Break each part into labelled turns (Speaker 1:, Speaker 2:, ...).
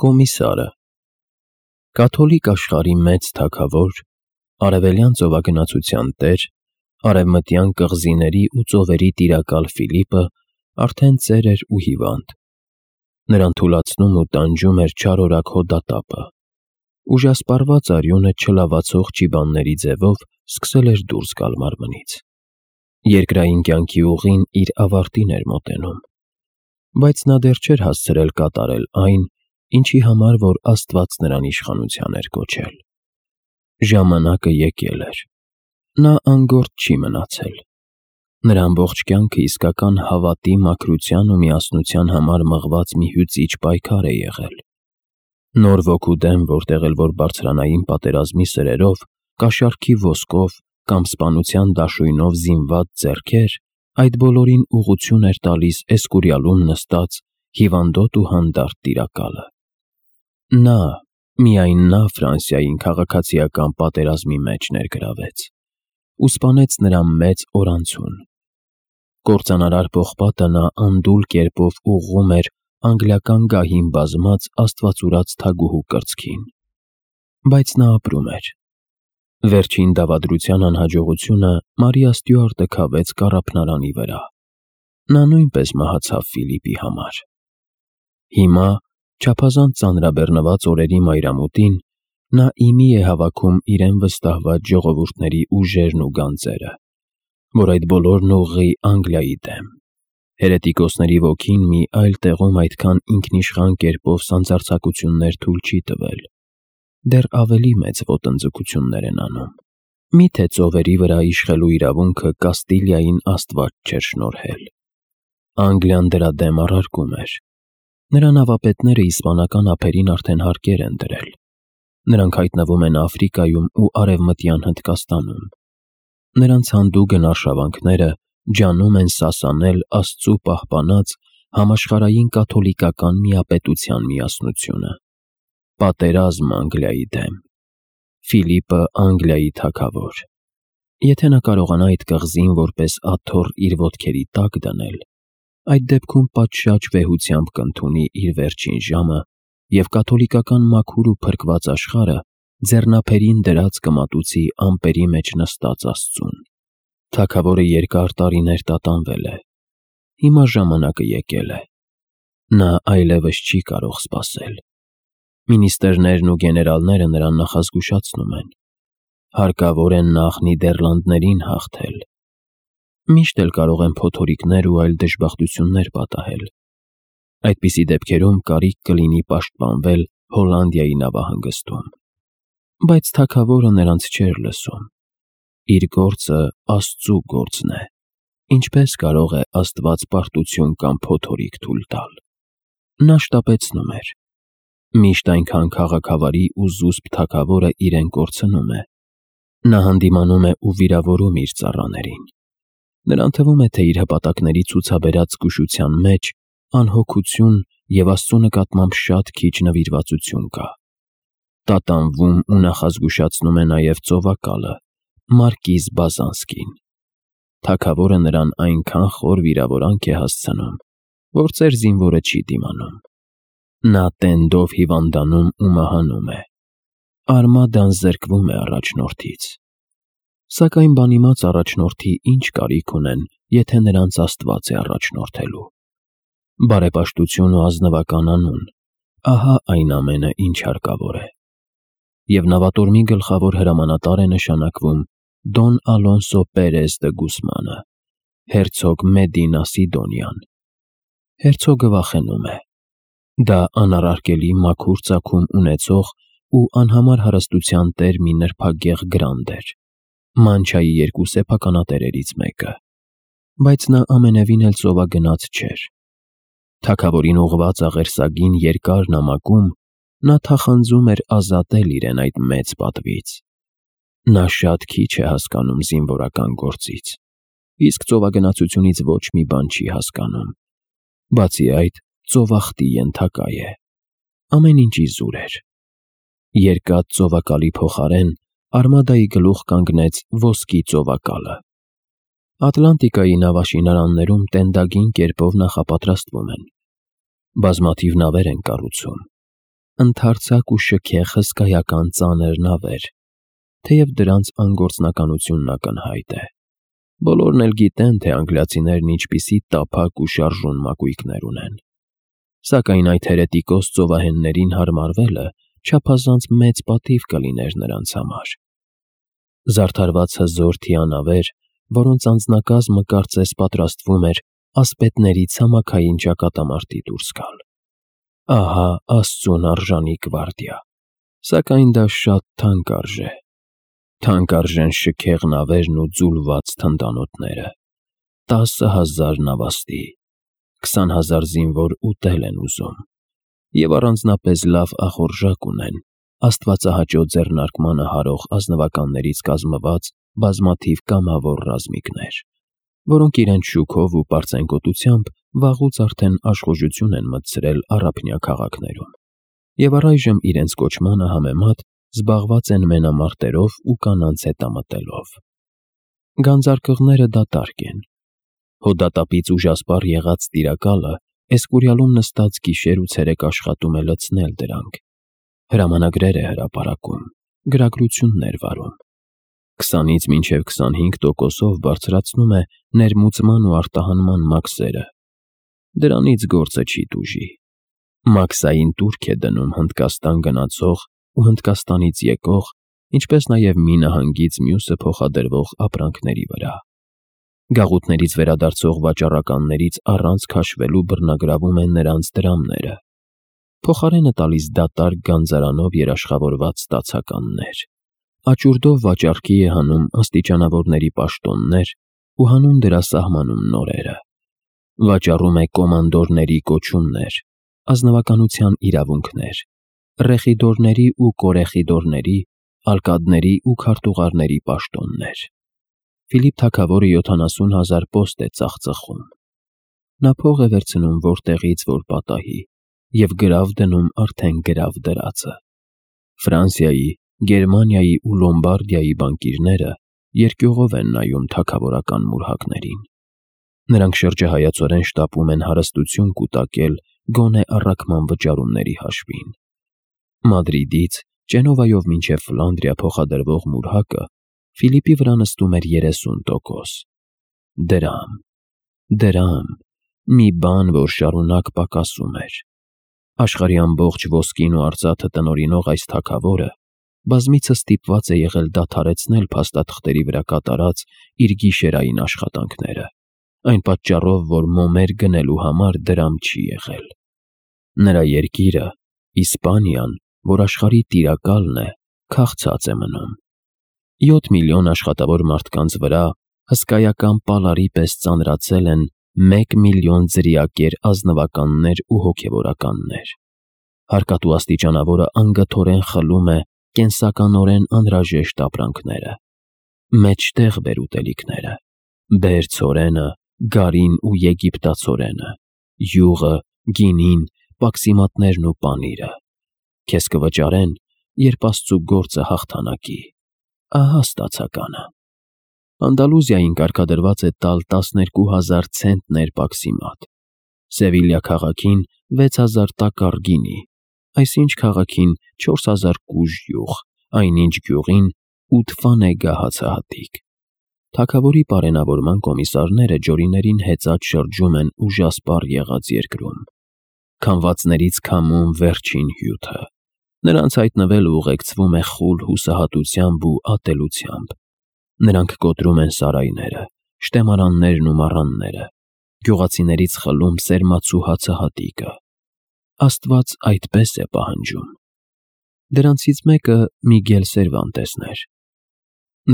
Speaker 1: Կոմիսարը կաթոլիկ աշխարհի մեծ թագավոր, արևելյան ծովագնացության տեր, արևմտյան կղզիների ու ծովերի տիրակալ Ֆիլիպը արդեն ծեր էր ու հիվանդ. նրան թուլացնում ու տանջում էր չարորակ հոդատապը, ուժասպառված արյունը չլավացող ճիբանների ձևով սկսել էր դուրս գալ մարմնից. երկրային կյանքի ուղին իր ավարտին էր մոտենում, բայց նա դեռ չէր հասցրել կատարել այն, ինչի համար որ Աստված նրան իշխանության էր կոչել. ժամանակը եկել էր, նա անգործ չի մնացել, նրա ամբողջ կյանքը իսկական հավատի, մաքրության ու միասնության համար մղված մի հյուծիչ պայքար է եղել. նոր ոգու դեմ, որտեղ էլ որ բարձրանային պատերազմի սրերով, կաշառքի ոսկով կամ սպանության դաշույնով զինված ձեռքեր, այդ բոլորին ուղղություն էր տալիս Էսկուրիալում նստած հիվանդոտ ու հանդարտ տիրակալը. նա, միայն նա Ֆրանսիային քաղաքացիական պատերազմի մեջ ներգրավեց ու սպանեց նրա մեծ օրանցուն. կործանարար պողպատը նա անդուլ կերպով ուղղում էր անգլիական գահին բազմած աստվածուրաց թագուհու կրծքին, բայց նա ապրում էր. վերջին դավադրության անհաջողությունը Մարիա Ստյուարտը քավեց կառափնարանի վրա, նա նույնպես մահացավ Ֆիլիպի համար. հիմա, չափազանց ծանրաբեռնված օրերի մայրամուտին, նա իմի է հավաքում իրեն վստահված ժողովուրդների ուժերն ու գանձերը, որ այդ բոլորն ուղղի Անգլիայի դեմ. հերետիկոսների ոգին մի այլ տեղում այդքան ինքնիշխան կերպով սանձարձակություններ թույլ չի տվել, դեռ ավելի մեծ ոտնձգություններ են անում. միթե ծովերի վրա իշխելու իրավունքը Կաստիլիային Աստված չէր շնորհել. Անգլիան դրա դեմ առարկում էր. նրա նավապետները իսպանական ափերին արդեն հարկեր են դրել, նրանք հայտնվում են Աֆրիկայում ու արևմտյան Հնդկաստանում, նրանց հանդուգն արշավանքները ջանում են սասանել Աստծու պահպանած համաշխարհային կաթոլիկական միապետության միասնությունը. պատերազմ Անգլիայի դեմ, Ֆիլիպը Անգլիայի թագավոր, եթե նա կարողանա այդ կղզին որպես աթոռ իր ոտքերի տակ դնել, այդ դեպքում պատշաճ վեհությամբ կընդունի իր վերջին ժամը և կաթոլիկական մաքուր ու փրկված աշխարհը ձեռնափերին դրած կմատուցի ամպերի մեջ նստած Աստծուն. թագավորը երկար տարիներ տատանվել է, հիմա ժամանակը եկել է, նա այլևս չի կարող սպասել. մինիստրներն ու գեներալները նրան նախազգուշացնում են. հարկավոր է նախ Նիդերլանդներին հաղթել, միշտ էլ կարող են փոթորիկներ ու այլ դժբախտություններ պատահել, այդպիսի դեպքերում կարիք կլինի պաշտպանվել Հոլանդիայի նավահանգստում, բայց թագավորը նրանց չէր լսում. իր գործը Աստծու գործն է, ինչպես կարող է Աստված պարտություն կամ փոթորիկ թույլ տալ: նա շտապեցնում էր. միշտ այնքան քաղաքավարի ու զուսպ թագավորը իրեն կորցնում է, նա հանդիմանում է ու վիրավորում իր ծառաներին, նրան թվում է, թե իր հպատակների ցուցաբերած զգուշության մեջ անհոգություն և Աստծու նկատմամբ շատ քիչ նվիրվածություն կա: տատանվում ու նախազգուշացնում է նաև ծովակալը, մարկիզ Բազանսկին: թագավորը նրան այնքան խոր վիրավորանք է հասցնում, որ ծեր զինվորը չի դիմանում: նա տենդով հիվանդանում ու մահանում է, արմադան զրկվում է առաջնորդից, սակայն բանիմաց առաջնորդի ինչ կարիք ունեն, եթե նրանց Աստված է առաջնորդելու: բարեպաշտություն ու ազնվական անուն, ահա այն ամենը, ինչ հարկավոր է: և նավատորմի գլխավոր հրամանատար է նշանակվում Դոն Ալոնսո Պերես դը Գուսմանը, հերցոգ Մեդինա Սիդոնյան: հերցոգը վախենում է: դա անառարկելի մաքուր ծագում ունեցող ու անհամար հարստության տեր մի նրբագեղ գրանդ էր, Մանչայի երկու սեփականատերերից մեկը, բայց նա ամենևին էլ ծովագնաց չէր: թագավորին ուղղված աղերսագին երկար նամակում նա թախանձում էր ազատել իրեն այդ մեծ պատվից: նա շատ քիչ է հասկանում զինվորական գործից, իսկ ծովագնացությունից ոչ մի բան չի հասկանում, բացի այդ ծովախտի ենթակա է: ամեն ինչ իզուր էր: երկաթ ծովակալի փոխարեն արմադայի գլուխ կանգնեց ոսկի ծովակալը: Ատլանտիկայի նավաշինարաններում տենդագին կերպով նախապատրաստվում են, բազմաթիվ նավեր են կառուցում, Ընդարձակ ու շքեղ հսկայական ծանր նավեր, թեև դրանց անգործնականությունն ակնհայտ է։ Բոլորն էլ գիտեն, թե անգլիացիներն ինչպիսի տափակ ու շարժուն մակույկներ ունեն։ Սակայն այդ հերետիկոս ծովահեններին հարմարվելը չափազանց մեծ պատիվ կլիներ նրանց համար։ Զարդարված հզոր թիանավեր, որոնց անձնակազմը կարծես պատրաստվում էր ասպետների ցամաքային ճակատամարտի դուրս գալ։ Ահա Աստծուն արժանի գվարդիա, սակայն դա շատ թանկ արժե։ Թանկ արժեն շքեղ նավերն ու ձուլված թնդանոթները, 10,000 նավաստի, 20,000 զինվոր ուտել են ուզում, և առանձնապես լավ ախորժակ ունեն աստվածահաճո ձեռնարկմանը հարող ազնվականներից կազմված բազմաթիվ կամավոր ռազմիկներ, որոնք իրենց շուքով ու պարծենկոտությամբ վաղուց արդեն աշխուժություն են մտցրել առափնյա քաղաքներում, և առայժմ իրենց կոչմանը համեմատ զբաղված են մենամարտերով ու կանանց հետամտելով։ Գանձարկղները դատարկ են։ Հոդատապից ուժասպառ եղած տիրակալը Էսկուրիալում նստած գիշեր ու ցերեկ աշխատում է լցնել դրանք, հրամանագրեր է հրապարակում, գրագրություններ վարում, 20-ից մինչև 25%-ով բարձրացնում է ներմուծման ու արտահանման մաքսերը։ Դրանից գործը չի տուժի։ Մաքսային տուրք է դնում Հնդկաստան գնացող ու Հնդկաստանից եկող, ինչպես նաև մի նահանգից մյուսը փոխադրվող ապրանքների վրա։ Գաղութներից վերադարձող վաճառականներից առանց քաշվելու բռնագրավում են նրանց դրամները, փոխարենը տալիս դատարկ գանձարանով երաշխավորված ստացականներ, աճուրդով վաճառքի է հանում աստիճանավորների պաշտոններ ու հանուն դրա սահմանում նորերը, վաճառում է կոմանդորների կոչումներ, ազնվականության իրավունքներ, ռեխիդորների ու կորեխիդորների, ալկադների ու քարտուղարների պաշտոններ։ Ֆիլիպ թագավորը 70,000 պոստ է ծախծխում։ Նա փող է վերցնում որտեղից որ պատահի և գրավ դնում արդեն գրավ դրածը։ Ֆրանսիայի, Գերմանիայի ու Լոմբարդիայի բանկիրները երկյուղով են նայում թագավորական մուրհակներին։ Նրանք շրջահայացորեն շտապում են հարստություն կուտակել գոնե առաքման վճարումների հաշվին։ Մադրիդից Ճենովայով մինչև Ֆլանդրիա փոխադրվող մուրհակը Ֆիլիպի վրա նստում էր 30%։ Դրամ, դրամ, մի բան, որ շարունակ պակասում էր։ Աշխարհի ամբողջ ոսկին ու արծաթը տնօրինող այս թագավորը բազմիցս ստիպված է եղել դադարեցնել փաստաթղթերի վրա կատարած իր գիշերային աշխատանքները, այն պատճառով, որ մոմեր գնելու համար դրամ չի եղել։ Նրա երկիրը, Իսպանիան, որ աշխարհի տիրակալն է, քաղցած է մնում։ 7 միլիոն աշխատավոր մարդկանց վրա հսկայական պալարի պես ծանրացել են 1 միլիոն ձրիակեր ազնվականներ ու հոգևորականներ։ Հարկատու աստիճանավորը անգթորեն խլում է կենսականորեն անհրաժեշտ ապրանքները, մեջտեղ բեր ուտելիքները, բեր ցորենը, գարին ու եգիպտացորենը, յուղը, գինին, պաքսիմատներն ու պանիրը։ Քեզ կվճարեն, երբ Աստծու գործը հաղթանակի։ Ահա ստացականը։ Անդալուզիային կարգադրված է տալ 12,000 ցենտներ պաքսիմատ, Սևիլյա քաղաքին 6,000 տակառ գինի, այսինչ քաղաքին 4,000 կուժ յուղ, այնինչ գյուղին 8 ֆանեգա հացահատիկ։ Թագավորի պարենավորման կոմիսարները ջորիներին հեծած շրջում են ուժասպառ եղած երկրում։ Քամվածներից քամում վերջին հյութը։ Նրանց հայտնվելը ուղեկցվում է խուլ հուսահատությամբ ու ատելությամբ։ Նրանք կոտրում են սարայները, շտեմարաններն ու մառանները, գյուղացիներից խլում սերմացու հացահատիկը։ Աստված այդպես է պահանջում։ Դրանցից մեկը Միգել Սերվանտեսն էր։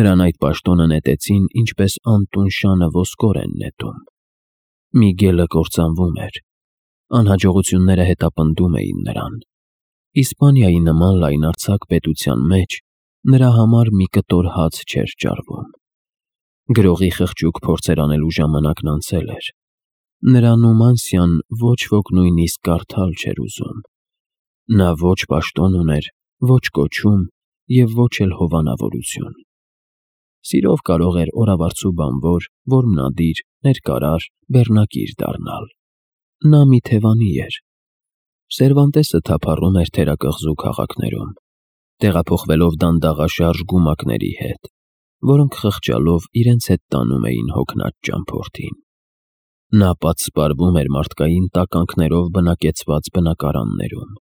Speaker 1: Նրան այդ պաշտոնը նետեցին, ինչպես անտուն շանը ոսկոր են նետում։ Միգելը կործանվում էր։ Անհաջողությունները հետապնդում էին նրան։ Իսպանիայի նման լայնարձակ պետության մեջ նրա համար մի կտոր հաց չէր ճարվում։ Գրողի խղճուկ փորձեր անելու ժամանակն անցել էր։ Նրա Նումանսիան ոչ ոք նույնիսկ կարդալ չէր ուզում։ Նա ոչ պաշտոն ուներ, ոչ կոչում և ոչ էլ հովանավորություն։ Սիրով կարող էր օրավարձու բանվոր, որմնադիր, ներկարար, բեռնակիր դառնալ։ Նա մի թևանի էր։ Սերվանտեսը թափառում էր թերակղզու քաղաքներում, տեղափոխվելով դանդաղաշարժ գումակների հետ, որոնք խղճալով իրենց հետ տանում էին հոգնած ճամփորդին։ Նա պատսպարվում էր մարդկային տականքներով բնակեցված բնակարաններում։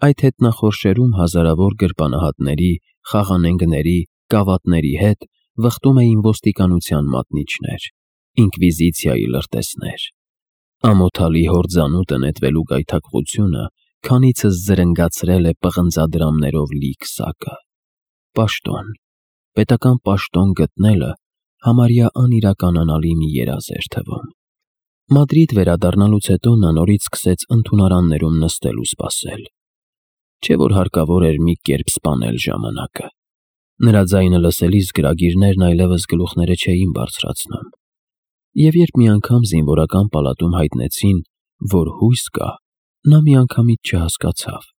Speaker 1: Այդ հետնախորշերում հազարավոր գրպանահատների, խաղանենգների, գավաթների հետ վխտում էին ոստիկանության մատնիչներ, ինկվիզիցիայի լրտեսներ։ Ամոթալի հորձանուտը նետվելու գայթակղությունը քանիցս զրնգացրել է պղնձադրամներով լի քսակը։ Պաշտոն, պետական պաշտոն գտնելը համարյա անիրականանալի մի երազ էր թվում։ Մադրիդ վերադառնալուց հետո նա նորից սկսեց ընդունարաններում նստել ու սպասել։ Չէ՞ որ հարկավոր էր մի կերպ սպանել ժամանակը։ Նրա ձայնը լսելիս գրագիրներն այլևս գլուխները չէին բարձրացնում։ Եվ երբ մի անգամ զինվորական պալատում հայտնեցին, որ հույս կա, նա միանգամից չհասկացավ։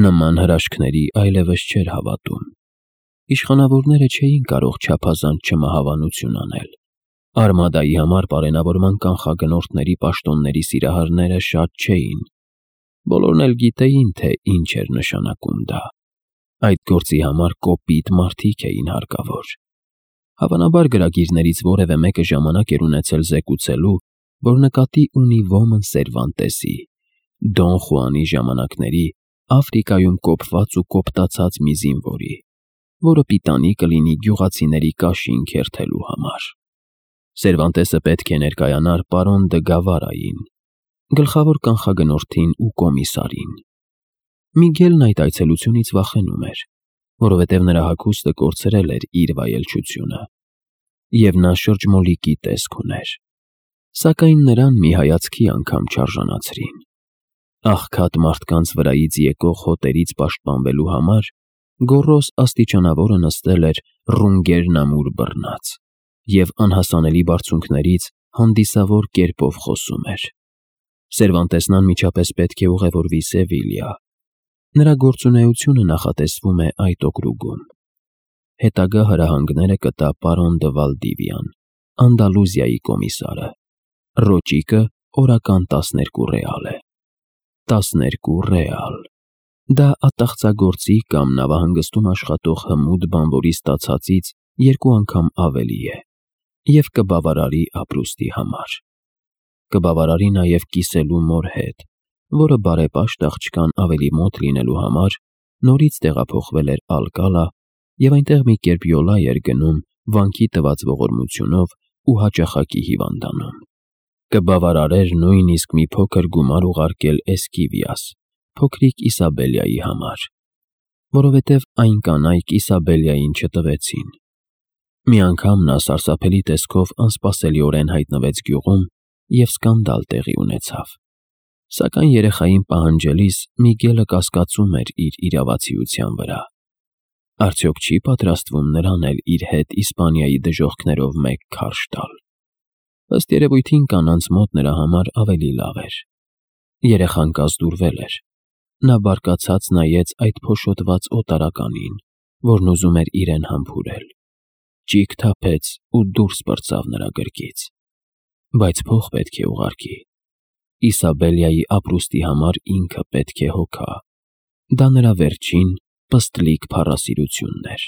Speaker 1: Նման հրաշքների այլևս չէր հավատում։ Իշխանավորները չէին կարող չափազանց չմահավանություն անել։ Արմադայի համար պարենավորման կանխագնորդների պաշտոնների սիրահարները շատ չէին։ Բոլորն էլ գիտեին, թե ինչ էր նշանակում դա։ Այդ գործի համար կոպիտ մարդիկ էին հարկավոր։ Հավանաբար գրագիրներից որևէ մեկը ժամանակ էր ունեցել զեկուցելու, որ նկատի ունի ոմն Սերվանտեսի, Դոն Խուանի ժամանակների Աֆրիկայում կոփված ու կոպտացած մի զինվորի, որը պիտանի կլինի գյուղացիների կաշին քերթելու համար։ Սերվանտեսը պետք է ներկայանար պարոն Դը Գավարային, գլխավոր կանխագնորդին ու կոմիսարին։ Միգելն այդ այցելությունից վախենում էր, որովհետև նրա հագուստը կորցրել էր իր վայելչությունը, և նա շրջմոլիկի տեսք ուներ, սակայն նրան մի հայացքի անգամ չարժանացրին։ Աղքատ մարդկանց վրայից եկող հոտերից պաշտպանվելու համար գոռոզ աստիճանավորը նստել էր ռունգերնամուր բռնած և անհասանելի բարձունքներից հանդիսավոր կերպով խոսում էր։ Սերվանտեսն անմիջապես պետք է ուղևորվի Սևիլիա։ Նրա գործունեությունը նախատեսվում է այդ օկրուգում։ Հետագա հրահանգները կտա պարոն Դը Վալդիվիան, Անդալուզիայի կոմիսարը։ Ռոճիկը օրական 12 ռեալ է։ 12 ռեալ։ Դա ատաղծագործի կամ նավահանգստում աշխատող հմուտ բանվորի ստացածից 2 անգամ ավելի է և կբավարարի ապրուստի համար։ Կբավարարի նաև կիսելու մոր հետ, որը բարեպաշտ աղջկան ավելի մոտ լինելու համար նորից տեղափոխվել էր Ալկալա և այնտեղ մի կերպ յոլա էր գնում վանքի տված ողորմությունով ու հաճախակի հիվանդանում։ Կբավարարեր նույնիսկ մի փոքր գումար ուղարկել Էսկիվիաս, փոքրիկ Իսաբելիայի համար, որովհետև այն կանայք Իսաբելիային չտվեցին։ Մի անգամ նա սարսափելի տեսքով անսպասելիորեն հայտնվեց գյուղում և սկանդալ տեղի ունեցավ։ Սակայն երեխային պահանջելիս Միգելը կասկածում էր իր իրավացիության վրա։ Արդյոք չի պատրաստվում նրան էլ իր հետ Իսպանիայի դժոխքներով մեկ քարշ տալ։ Ըստ երևույթին կանանց մոտ նրա համար ավելի լավ էր։ Երեխան կազդուրվել էր։ Նա բարկացած նայեց այդ փոշոտված օտարականին, որն ուզում էր իրեն համբուրել։ Ճիգ թափեց ու դուրս պրծավ նրա գրկից։ Բայց փող պետք է ուղարկի։ Իսաբելիայի ապրուստի համար ինքը պետք է հոգա։ Դա նրա վերջին պստլիկ փառասիրությունն էր։